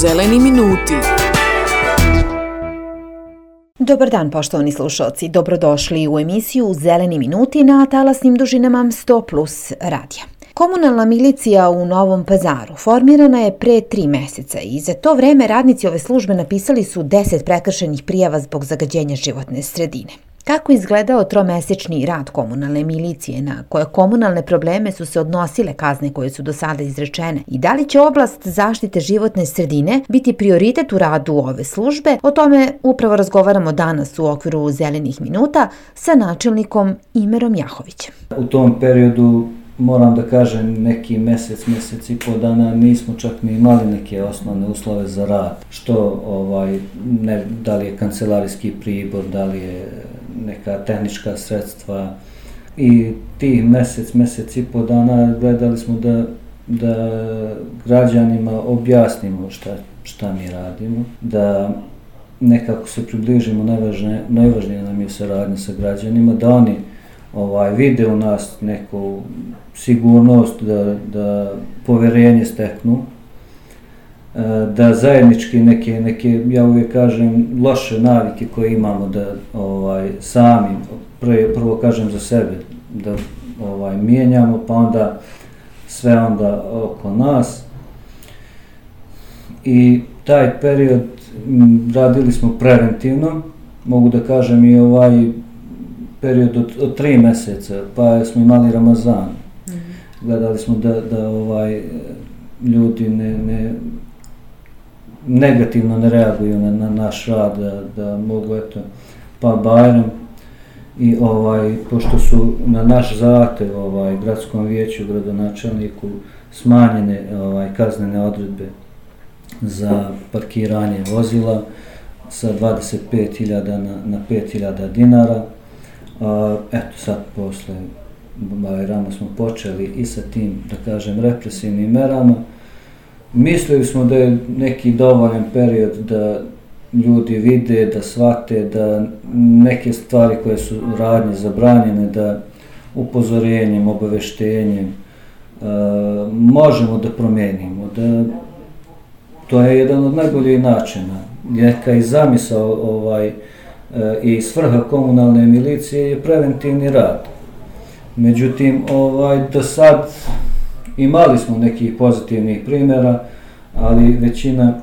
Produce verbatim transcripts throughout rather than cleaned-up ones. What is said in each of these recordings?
Zeleni minuti. Dobar dan, poštovani slušalci. Dobrodošli u emisiju Zeleni minuti na talasnim dužinama sto plus radija. Komunalna milicija u Novom Pazaru formirana je pre tri meseca i za to vreme radnici ove službe napisali su deset prekršajnih prijava zbog zagađenja životne sredine. Kako izgledao tromesečni rad komunalne milicije, na koje komunalne probleme su se odnosile kazne koje su do sada izrečene i da li će oblast zaštite životne sredine biti prioritet u radu ove službe, o tome upravo razgovaramo danas u okviru Zelenih minuta sa načelnikom Imerom Jahovićem. U tom periodu, moram da kažem, neki mesec, mesec i pol dana nismo čak ni imali neke osnovne uslove za rad. Što, ovaj, ne, da li je kancelarijski pribor, da li je neka tehnička sredstva. I tih mesec, mesec i pol dana gledali smo da, da građanima objasnimo šta, šta mi radimo, da nekako se približimo, najvažnije, najvažnije nam je saradnja sa građanima, da oni ovaj, vide u nas neku sigurnost, da, da poverenje steknu, da zajednički neke, neke, ja uvijek kažem, loše navike koje imamo da ovaj, sami, prvo, prvo kažem za sebe, da ovaj, mijenjamo, pa onda sve onda oko nas. I taj period m, radili smo preventivno, mogu da kažem i ovaj period od, od tri meseca, pa smo imali Ramazan. Mm-hmm. Gledali smo da, da ovaj, ljudi ne, ne negativno ne reaguju na, na naš rad, da, da mogu, eto, pa Bajram i ovaj, pošto su na naš zahtev ovaj, gradskom vijeću, gradonačelniku smanjene ovaj, kaznene odredbe za parkiranje vozila sa dvadeset pet hiljada na, na pet hiljada dinara. A, eto sad posle Bajrama smo počeli i sa tim, da kažem, represivnim merama. Mislili smo da je neki dovoljan period da ljudi vide, da shvate, da neke stvari koje su radnje zabranjene, da upozorenjem, obaveštenjem uh, možemo da promijenimo. Da, to je jedan od najboljih načina. Neka i zamisao ovaj, uh, i svrha komunalne milicije je preventivni rad. Međutim, ovaj, do sad imali smo nekih pozitivnih primjera, ali većina,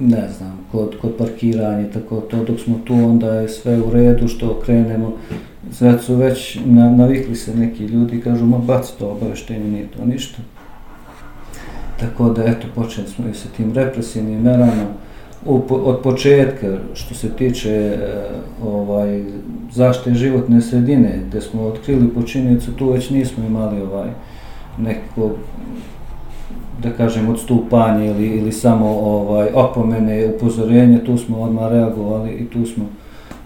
ne znam, kod, kod parkiranja, tako to, dok smo tu, onda je sve u redu, što krenemo, sad su već na, navikli se neki ljudi, kažu, ma baci to obaveštenje, nije to ništa. Tako da, eto, počeli smo i sa tim represivnim merama. U, od početka, što se tiče e, ovaj, zaštite životne sredine, gdje smo otkrili počinjenicu, tu već nismo imali ovaj, neko, da kažem, odstupanje ili, ili samo ovaj, opomene, upozorenje, tu smo odmah reagovali i tu smo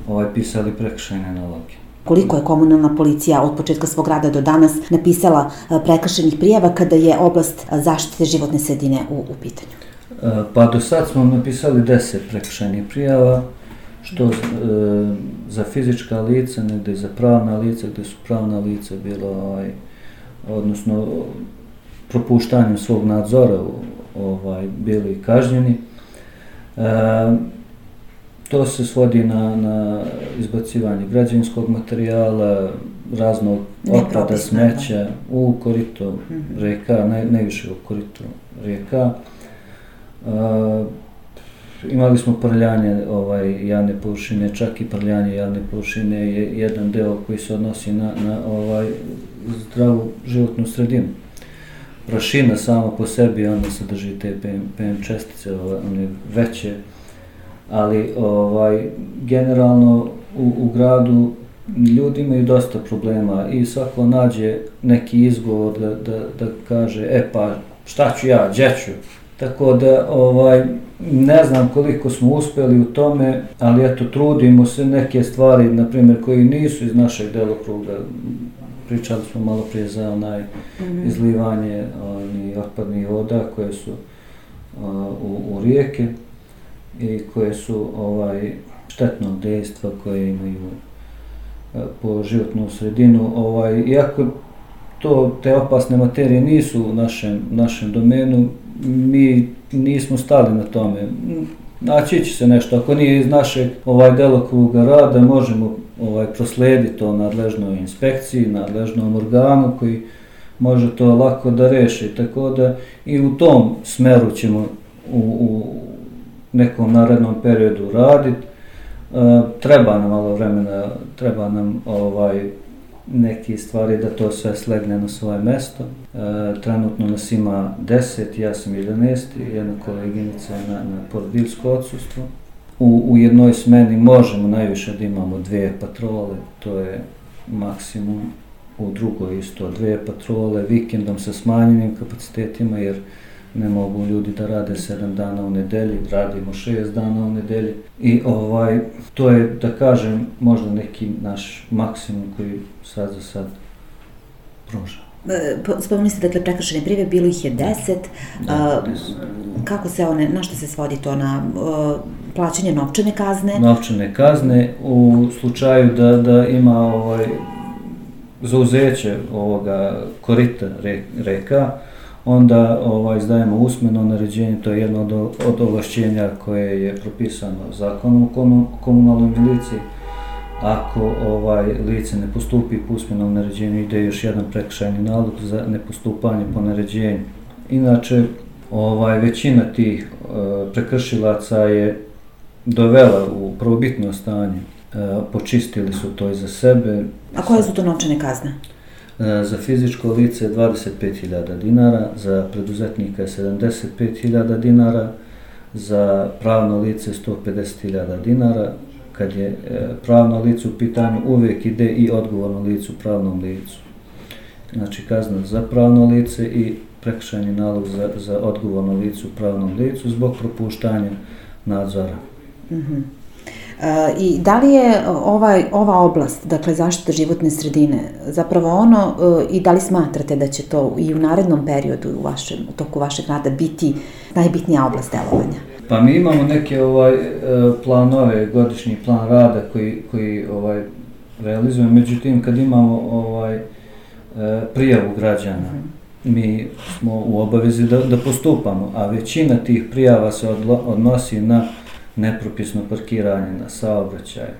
ovaj, pisali prekršajne naloge. Koliko je komunalna policija od početka svog rada do danas napisala prekršajnih prijava kada je oblast zaštite životne sredine u, u pitanju? Pa do sad smo napisali deset prekršajnih prijava, što e, za fizička lica, negdje za pravna lica, gdje su pravna lica bilo, ovaj, odnosno propuštanjem svog nadzora ovaj, bili kažnjeni. E, to se svodi na, na izbacivanje građevinskog materijala, raznog otpada, smeća u korito mm-hmm. rijeka, ne, najviše u korito rijeka. Uh, imali smo prljanje ovaj, javne površine, čak i prljanje javne površine je jedan deo koji se odnosi na, na ovaj, zdravu životnu sredinu. Prašina sama po sebi, ona sadrži te P M čestice, ovaj, one veće, ali ovaj, generalno u, u gradu ljudi imaju dosta problema i svako nađe neki izgovor da, da, da kaže, e pa šta ću ja, gdje ću? Tako da, ovaj, ne znam koliko smo uspjeli u tome, ali eto, trudimo se neke stvari, na primjer, koji nisu iz našeg delokruga. Pričali smo malo prije za onaj mm-hmm. izlivanje oni, otpadnih voda koje su uh, u, u rijeke i koje su ovaj, štetnog dejstva, koje imaju uh, po životnu sredinu. Ovaj, iako to, te opasne materije nisu u našem, našem domenu, mi nismo stali na tome. Naći će se nešto, ako nije iz našeg ovaj delokruga rada, možemo ovaj proslijediti to nadležnoj inspekciji, nadležnom organu koji može to lako da reši, tako da i u tom smeru ćemo u, u nekom narednom periodu raditi. E, treba nam malo vremena, treba nam ovaj neke stvari da to sve slegne na svoje mesto. E, trenutno nas ima deset, ja sam jedanaesti, jedna koleginica na, na porodiljsko odsustvo. U, u jednoj smeni možemo najviše da imamo dvije patrole, to je maksimum. U drugoj isto dvije patrole, vikendom sa smanjenim kapacitetima, jer ne mogu ljudi da rade sedam dana u nedelji, radimo šest dana u nedelji. I ovaj, to je, da kažem, možda neki naš maksimum koji sad za sad pruža. Spomenuli ste, dakle, prekršajne prijave, bilo ih je deset. Da, deset. Kako se one, na što se svodi to, na uh, plaćanje novčane kazne? Novčane kazne, u slučaju da, da ima ovaj, zauzeće ovoga korita reka, onda ovaj, izdajemo usmeno naređenje, to je jedno od, od ovlašćenja koje je propisano zakonom o komunalnoj miliciji. Ako ovaj, lice ne postupi po usmenom naređenju, ide još jedan prekršajni nalog za nepostupanje po naređenju. Inače, ovaj, većina tih e, prekršilaca je dovela u prvobitno stanje. E, počistili su to i za sebe. A koje su to novčane kazne? E, za fizičko lice je dvadeset pet hiljada dinara, za preduzetnika je sedamdeset pet hiljada dinara, za pravno lice sto pedeset hiljada dinara. Kad je e, pravno lice u pitanju, uvijek ide i odgovorno lice u pravnom licu. Znači kazna za pravno lice i prekršajni nalog za, za odgovorno lice u pravnom licu zbog propuštanja nadzora. Mm-hmm. E, I da li je ovaj, ova oblast, dakle zaštita životne sredine, zapravo ono, e, i da li smatrate da će to i u narednom periodu u, vašem, u toku vašeg rada biti najbitnija oblast delovanja? Pa mi imamo neke ovaj, planove, godišnji plan rada koji, koji ovaj, realizujemo, međutim kad imamo ovaj, prijavu građana, mi smo u obavezi da, da postupamo, a većina tih prijava se odlo, odnosi na nepropisno parkiranje, na saobraćaj. E,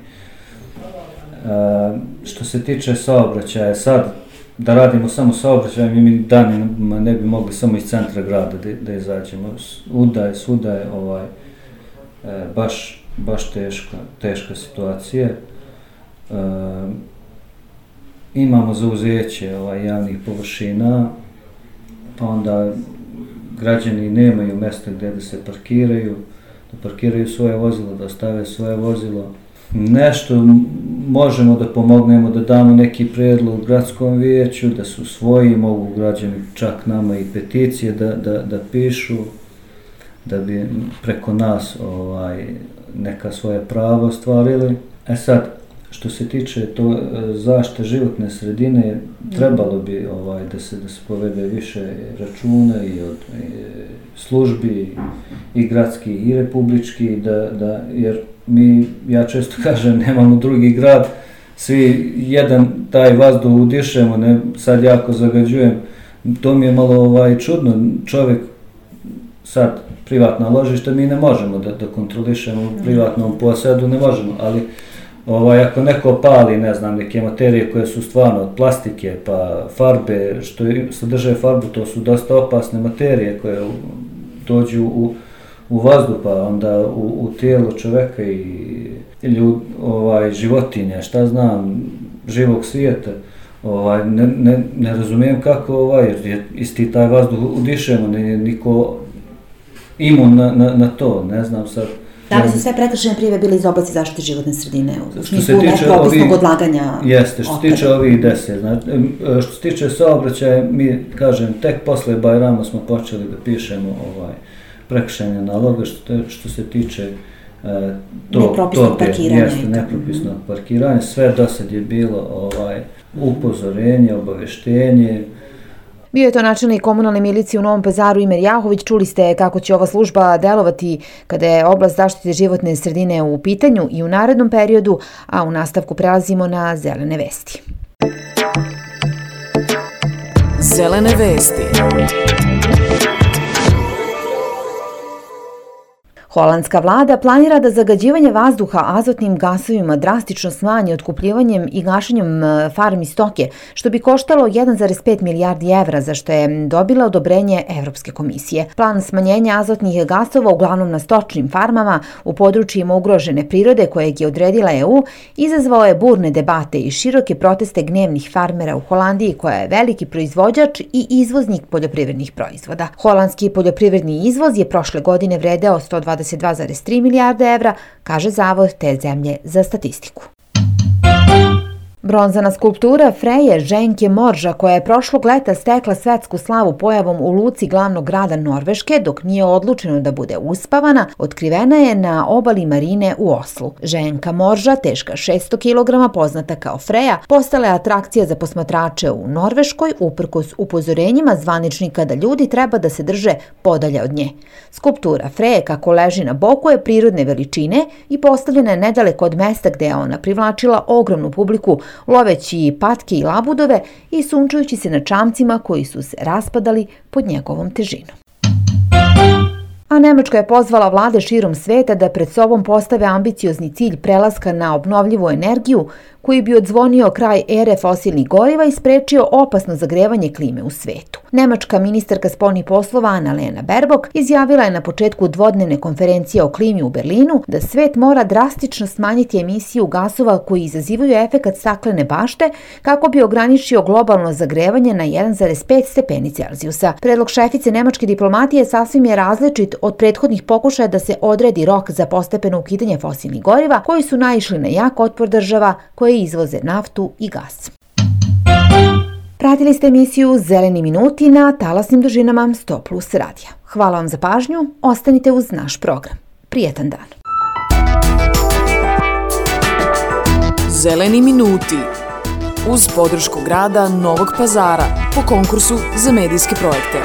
što se tiče saobraćaja, sad da radimo samo saobraćaj, mi danima ne bi mogli samo iz centra grada da, da izađemo. Svuda je, svuda je ovaj, e, baš, baš teška, teška situacija. E, imamo zauzeće ovaj, javnih površina, pa onda građani nemaju mjesta gdje da se parkiraju, da parkiraju svoje vozilo, da ostave svoje vozilo. Nešto možemo da pomognemo, da damo neki prijedlog gradskom vijeću, da su svoji, mogu građani čak nama i peticije da, da, da pišu, da bi preko nas ovaj, neka svoje prava ostvarili. E sad, što se tiče to zaštite životne sredine, trebalo bi ovaj, da se da se povede više računa i od i službi i gradski i republički, da, da, jer mi, ja često kažem, nemamo drugi grad, svi jedan taj vazduh udišemo, ne, sad jako zagađujem, to mi je malo ovaj, čudno, čovjek sad privatna ložišta mi ne možemo da, da kontrolišemo u privatnom posedu, ne možemo, ali ovaj, ako neko pali, ne znam, neke materije koje su stvarno od plastike, pa farbe, što sadrže farbu, to su dosta opasne materije koje dođu u, u vazduh, pa onda u, u tijelo čoveka i ljud, ovaj, životinje, šta znam, živog svijeta. Ovaj, ne, ne, ne razumijem kako, ovaj, jer isti taj vazduh udišemo, ne, niko imun na, na, na to, ne znam sad. Da li su sve prekršajne prijave bile iz oblasti zaštite životne sredine, u smislu nepropisnog odlaganja? Jeste, što se tiče ovih deset. Znači, što se tiče saobraćaja, mi, kažem, tek posle Bajrama smo počeli da pišemo ovaj, prekršajne naloge, što, što se tiče e, to, nepropisnog parkiranja. Jeste, nepropisnog parkiranja. Sve do sad je bilo ovaj, upozorenje, obaveštenje. Bio je to načelnik komunalne milicije u Novom Pazaru Imer Jahović. Čuli ste kako će ova služba delovati kada je oblast zaštite životne sredine u pitanju i u narednom periodu, a u nastavku prelazimo na zelene vesti. Zelene vesti. Holandska vlada planira da zagađivanje vazduha azotnim gasovima drastično smanji otkupljivanjem i gašenjem farmi stoke, što bi koštalo jedan zarez pet milijardi evra, za što je dobila odobrenje Evropske komisije. Plan smanjenja azotnih gasova uglavnom na stočnim farmama u područjima ugrožene prirode kojeg je odredila E U izazvao je burne debate i široke proteste gnevnih farmera u Holandiji, koja je veliki proizvođač i izvoznik poljoprivrednih proizvoda. Holandski poljoprivredni izvoz je prošle godine vredeo sto dvadeset dva zarez tri milijarde evra, kaže Zavod te zemlje za statistiku. Bronzana skulptura Freje Ženke Morža, koja je prošlog leta stekla svetsku slavu pojavom u luci glavnog grada Norveške, dok nije odlučeno da bude uspavana, otkrivena je na obali marine u Oslu. Ženka Morža, teška šesto kilograma, poznata kao Freja, postala je atrakcija za posmatrače u Norveškoj, uprkos upozorenjima zvaničnika da ljudi treba da se drže podalje od nje. Skulptura Freje, kako leži na boku, je prirodne veličine i postavljena je nedaleko od mesta gde je ona privlačila ogromnu publiku, loveći patke i labudove i sunčajući se na čamcima koji su se raspadali pod njegovom težinom. A Nemačka je pozvala vlade širom sveta da pred sobom postave ambiciozni cilj prelaska na obnovljivu energiju koji bi odzvonio kraj ere fosilnih goriva i sprečio opasno zagrevanje klime u svetu. Nemačka ministarka spoljnih poslova Annalena Baerbock izjavila je na početku dvodnevne konferencije o klimi u Berlinu da svet mora drastično smanjiti emisiju gasova koji izazivaju efekat staklene bašte kako bi ograničio globalno zagrevanje na jedan zarez pet stepeni Celzijusa. Predlog šefice nemačke diplomatije sasvim je različit od prethodnih pokušaja da se odredi rok za postepeno ukidanje fosilnih goriva koji su naišli na jak otpor država koje izvoze naftu i gas. Pratili ste emisiju Zeleni minuti na talasnim dužinama sto plus radija. Hvala vam za pažnju, ostanite uz naš program. Prijetan dan. Zeleni minuti uz podršku grada Novog Pazara po konkursu za medijske projekte.